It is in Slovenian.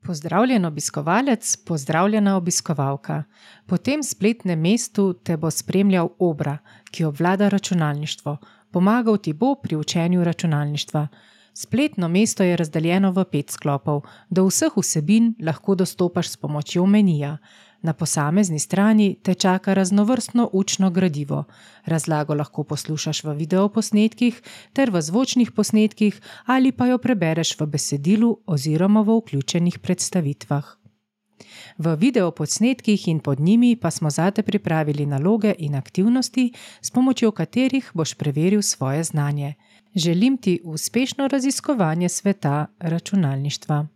Pozdravljen obiskovalec, pozdravljena obiskovalka. Po tem spletnem mestu te bo spremljal Obra, ki obvlada računalništvo. Pomagal ti bo pri učenju računalništva. Spletno mesto je razdeljeno v 5 sklopov. Do vseh vsebin lahko dostopaš s pomočjo menija. Na posamezni strani te čaka raznovrstno učno gradivo. Razlago lahko poslušaš v videoposnetkih ter v zvočnih posnetkih ali pa jo prebereš v besedilu oziroma v vključenih predstavitvah. V videoposnetkih in pod njimi pa smo zate pripravili naloge in aktivnosti, s pomočjo katerih boš preveril svoje znanje. Želim ti uspešno raziskovanje sveta računalništva.